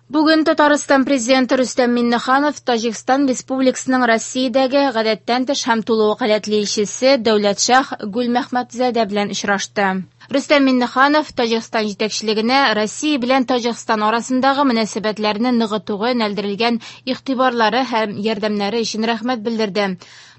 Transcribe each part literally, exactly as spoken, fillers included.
Бүген Татарстан президенты Рөстәм Миңнеханов Таҗикстан Республикасының Россиядәге гадәттән тыш һәм тулы вәкаләтле илчесе Дәүләтшаһ Гүлмәхмәтзадә белән очрашты. Рөстәм Миңнеханов Таҗикстан җитәкчелегенә Россия белән Таҗикстан арасындагы мөнәсәбәтләрне ныгытуга юнәлдерелгән игътибарлары һәм ярдәмнәре өчен рәхмәт белдерде.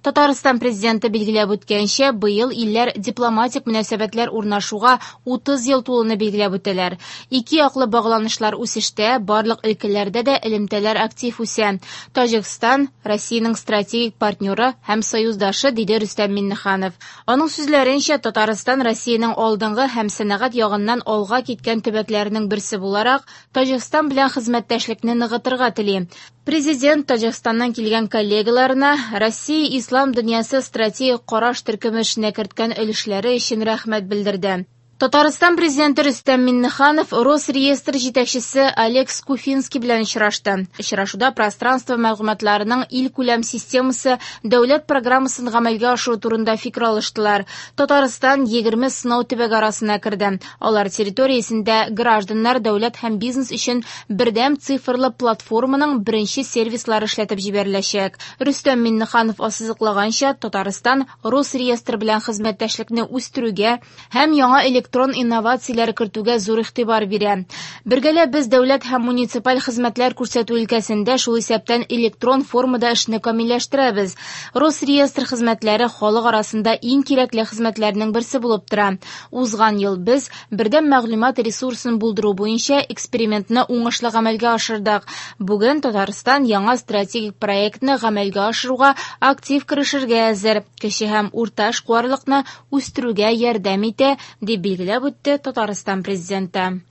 Татарстан президенты билгеләп үткәнчә, быел илләр дипломатик мөнәсәбәтләр урнашуга утыз ел тулуны билгеләп үтәләр. Ике яклы багланышлар үсештә, барлык өлкәләрдә дә элемтәләр актив үсә. Таҗикстан Россиянең стратегик партнеры һәм союздашы, диде Рөстәм Миңнеханов. Аның сүзләренчә, Татарстан Россиянең алдынгы һәм сәнәгать ягыннан алга киткән төбәкләренең берсе буларак, Таҗикстан белән хезмәттәшлекне ныгытырга тели. Президент Таҗикстаннан килгән коллегаларына Россия Ислам дөньясы стратегик караш төркеме эшенә керткән өлешләре өчен рәхмәт белдерде. Татарстан президенты Рөстәм Миңнеханов Росреестр җитәкчесе Олег Скуфинский белән очрашты. Очрашуда пространство мәгълүматларының илкүләм системасы дәүләт программасын гамәлгә ашыру турында фикер алыштылар. Татарстан егерме сынау төбәге арасына керде. Алар территориясендә гражданнар, дәүләт һәм бизнес өчен бердәм цифрлы платформаның беренче сервислары эшләтеп җибәреләчәк. Рөстәм Миңнеханов ассызыклаганча, Татарстан Росреестр белән хезмәттәшлекне үстерүгә һәм яңа электрон инновацияләр кертүгә зур игътибар бирә. Бергәләп без дәүләт һәм муниципаль хезмәтләр күрсәтү өлкәсендә, шул исәптән электрон формада эшне камилләштерәбез. Росреестр хезмәтләре халык арасында иң кирәкле хезмәтләрнең берсе булып тора. Узган ел без бердәм мәгълүмат ресурсын булдыру буенча экспериментны уңышлы гамәлгә ашырдык. Бүген Татарстан яңа стратегик проектны гамәлгә ашыруга актив керешергә әзер. Кече һәм урта эшкуарлыкны үстерүгә ярдәм итә, дип билгеләп үтте Татарстан президенты.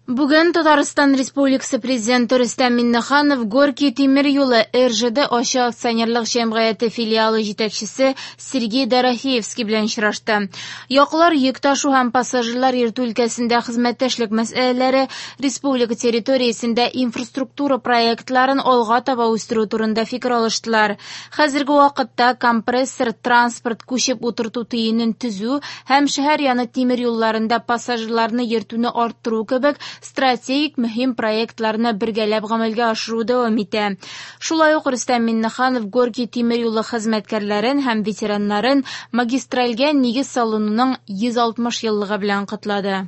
Бүген Татарстан Республикасы президенты Рөстәм Миңнеханов Горький тимер юлы эр жэ дэ ачык акционерлык җәмгыяте филиалы җитәкчесе Сергей Дорофеевский белән очрашты. Яклар йөк ташу һәм пассажирлар йөртү өлкәсендә хезмәттәшлек мәсьәләләре, республика территориясендә инфраструктура проектларын алга таба үстерү турында фикер алыштылар. Хәзерге вакытта компрессор транспорт күчеп утырту төенен төзү һәм шәһәр яны тимер юлларында пассажирларны йөртүне арттыру кебек стратегик мөһим проектларны бергәләп гамәлгә ашыру дәвам итә. Шулай ук Рөстәм Миңнеханов Горький тимер юлы хезмәткәрләрен һәм ветераннарын магистральгә нигез салынуның йөз алтмыш еллыгы белән котлады.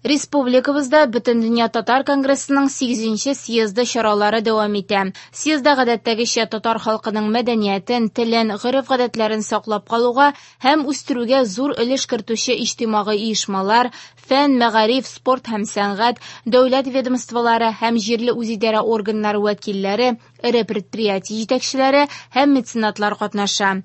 Республикабызда Бөтендөнья татар конгрессының сигезенче съезды чаралары дәвам итә. Съездда гадәттәгечә татар халкының мәдәниятен, телен, гореф-гадәтләрен саклап калуга һәм үстерүгә зур өлеш кертүче иҗтимагый оешмалар, фән, мәгариф, спорт һәм сәнгать, дәүләт ведомстволары һәм җирле үзидарә органнары вәкилләре, эре предприятие җитәкчеләре һәм меценатлар катнаша.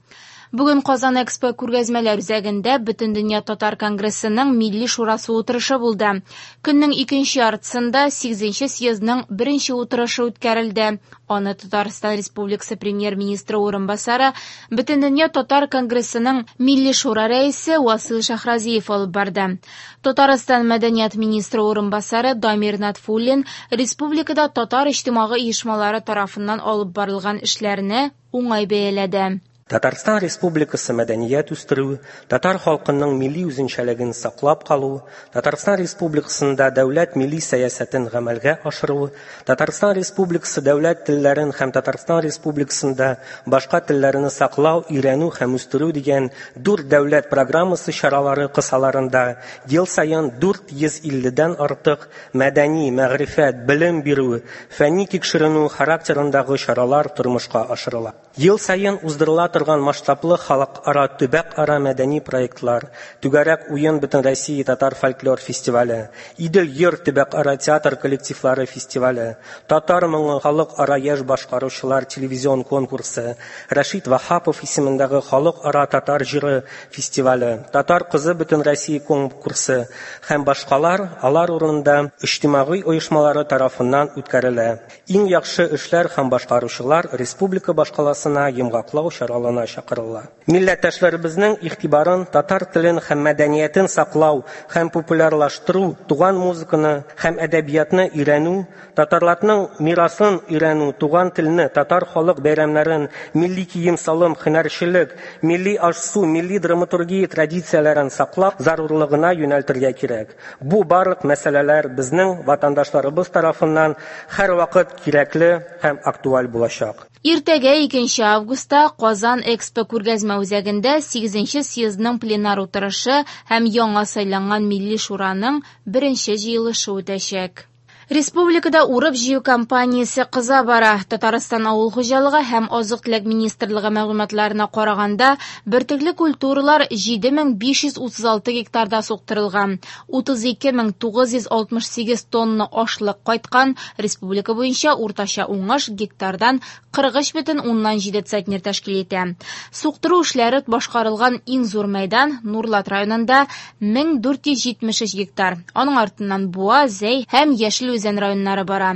Бүген Казан Экспо күргәзмәләр үзәгендә Бөтендөнья татар конгрессының Милли шурасы утырышы булды. Көннең икенче яртысында сигезенче съездның беренче утырышы үткәрелде. Аны Татарстан Республикасы премьер-министры урынбасары, Бөтендөнья татар конгрессының Милли шура рәисе Васил Шахразиев алып барды. Татарстан мәдәният министры урынбасары Дамир Натфуллин республикада татар иҗтимагый оешмалары тарафыннан алып барылган эшләрне уңай бәяләде. Татарстан Республикасы мәдәният үстерү, татар халкының милли үзенчәлеген саклап калу, Татарстан Республикасында дәүләт милли сәясәтен гамәлгә ашыру, Татарстан Республикасы дәүләт телләрен һәм Татарстан Республикасында башка телләрне саклау, өйрәнү һәм үстерү дигән дүрт дәүләт программасы чаралары кысаларында ел саен дүрт йөз илледән артык мәдәни, мәгърифәт, белем бирү, фәнни тикшеренү характерындагы чаралар тормышка ашырыла. Ел саен уздырыла торган масштаблы халыкара, төбәкара мәдәни проектлар, Түгәрәк уен Бөтен Россия татар фольклор фестивале, Идел йыр төбәкара театр коллективлары фестивале, Татар моңы халыкара яшь башкаручылар телевизион конкурсы, Рәшит Ваһапов исемендәге халыкара татар җыры фестивале, Татар кызы Бөтен Россия конкурсы һәм башкалар алар урынында иҗтимагый оешмалары тарафыннан үткәрелә. Иң яхшы эшләр һәм башкаручылар республика башкаласына йомгаклау чаралары залына чакырыла. Милләттәшләребезнең игътибарын татар телен һәм мәдәниятен саклау һәм популярлаштыру, туган музыканы һәм әдәбиятны өйрәнү, татарларның мирасын өйрәнү, туган телне, татар халык бәйрәмнәрен, милли кием-салым, һөнәрчелек, милли аш-су, милли драматургия традицияләрен саклау зарурлыгына юнәлтергә кирәк. Бу барлык мәсьәләләр безнең ватандашларыбыз тарафыннан һәрвакыт кирәкле һәм актуаль булачак. Иртәгә икенче августта Казан Экспо күргәзмә үзәгендә сигезенче съездның пленар утырышы һәм яңа сайланган Милли Шураның беренче җыелышы үтәчәк. Республикада урып-җыю кампаниясе кыза бара. Татарстан авыл хуҗалыгы һәм азык-төлек министрлыгы мәгълүматларына караганда, бөртекле культуралар җиде мең биш йөз утыз алты гектарда суктырылган. утыз ике мең тугыз йөз алтмыш сигез тонна ашлык кайткан. Республика буенча уртача уңыш гектардан кырык өч бөтен уннан җиде центнер тәшкил итә. Суктыру эшләре башкарылган иң зур мәйдан Нурлат районында мең дүрт йөз җитмеш өч гектар. Аның артыннан Буа, Зәй һәм Яшел Үзән районнары бара.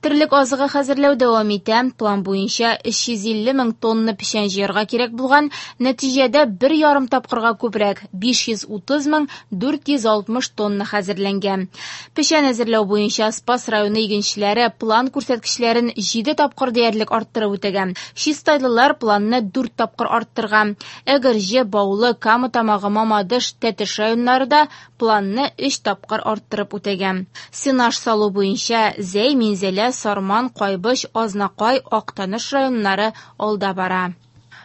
Терлек азыгы хәзерләү дәвам итә. План буенча өч йөз илле мең тонна печән җыярга кирәк булган, нәтиҗәдә бер ярым тапкырга күбрәк биш йөз утыз мең дүрт йөз алтмыш тонна хәзерләнгән. Печән әзерләү буенча Спас районы игенчеләре план күрсәткечләрен җиде тапкыр диярлек арттырып үтәгән. Чистайлылар планны дүрт тапкыр арттырган. Әгерҗе, Баулы, Кама Тамагы, Мамадыш, Тәтеш районнары да планны өч тапкыр арттырып үтәгән. Сенаж салу буенча Зәй, Минзәлә, Сарман, Кайбыч, Азнакай, Актаныш районнары алда бара.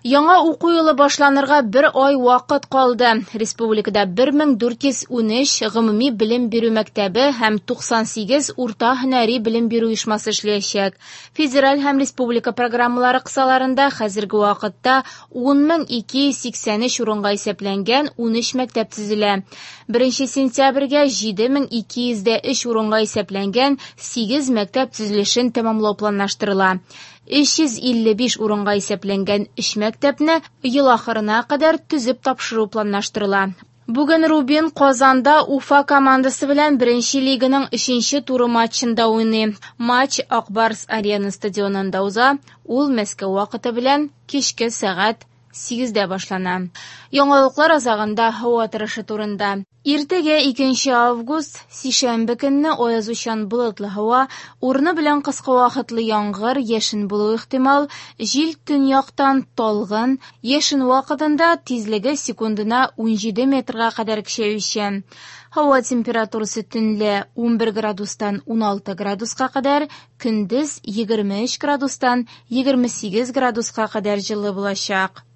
Яңа уку елы башланырга бер ай вакыт калды. Республикада бер мең дүрт йөз унөч гомуми белем бирү мәктәбе һәм туксан сигез урта һөнәри белем бирү оешмасы эшләячәк. Федераль һәм республика программалары кысаларында хәзерге вакытта ун мең ике йөз сиксән өч урынга исәпләнгән унөч мәктәп төзелә. Беренче сентябрьгә җиде мең ике йөз дә өч урынга исәпләнгән сигез мәктәп төзелешен тәмамлау планлаштырыла. Өч йөз илле биш урынга исәпләнгән өч мәктәпне ел ахырына кадәр төзеп тапшыру планлаштырыла. Бүген Рубин Казанда Уфа командасы белән беренче лиганың өченче туры матчында уйный. Матч Акбарс Арена стадионында уза. Ул Мәскәү вакыты белән кичке сәгать сигездә башлана. Яңалыклар азагында һава торышы турында. Иртәгә икенче август, сишәмбе көнне аязучан болытлы һава, урыны белән кыска вакытлы яңгыр, яшен булуы ихтимал, җил төньяктан талгын, яшен вакытында тизлеге секундына унҗиде метрга кадәр көчәючән. Һава температурасы төнлә унбер градустан уналты градуска кадәр, көндез егерме өч градустан егерме сигез градуска кадәр җылы булачак.